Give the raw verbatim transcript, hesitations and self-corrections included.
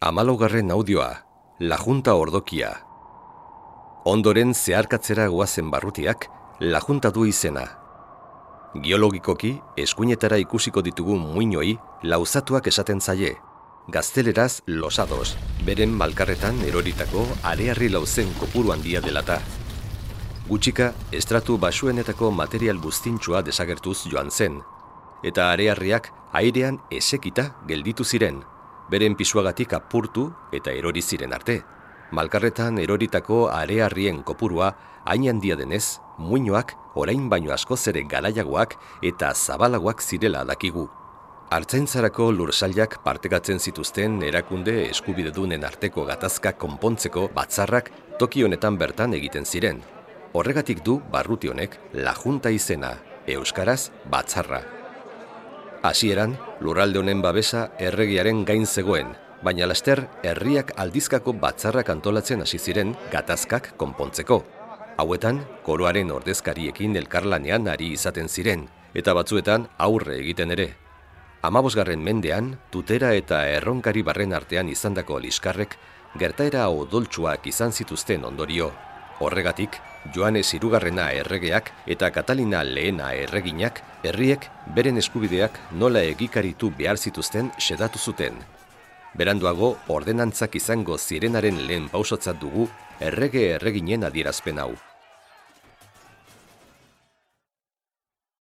Hamalaugarren audioa, La Junta Ordokia. Ondoren zeharkatzera goazen barrutiak, La Junta du izena. Geologikoki, eskuinetara ikusiko ditugu muinoi, lauzatuak esaten zaie. Gazteleraz losados, beren malkarretan eroritako arearri lauzen kopuru handia delata. Gutxika, estratu basuenetako material buztintxua desagertuz joan zen, eta arearriak airean esekita gelditu ziren, beren pisuagatik apurtu eta erori ziren arte. Malkarretan eroritako arearrien kopurua hain handia denez, muinoak orain baino askoz ere garaiagoak eta zabalagoak zirela dakigu. Artzaintzarako lursailak partekatzen zituzten erakunde eskubidedunen arteko gatazkak konpontzeko batzarrak toki honetan bertan egiten ziren. Horregatik du barruti honek La Junta izena, euskaraz batzarra. Hasieran, lurralde honen babesa erregearen gain zegoen, baina laster herriak aldizkako batzarrak antolatzen hasi ziren gatazkak konpontzeko. Hauetan, koroaren ordezkariekin elkarlanean ari izaten ziren, eta batzuetan aurre egiten ere. Hamabosgarren mendean, tutera eta erronkari barren artean izandako liskarrek gertaera odoltsuak izan zituzten ondorio. Horregatik, Joanes hirugarrena erregeak eta Katalina lehena erreginak herriek beren eskubideak nola egikaritu behar zituzten xedatu zuten. Beranduago, ordenantzak izango zirenaren lehen pausotzat dugu errege erreginen adierazpen hau.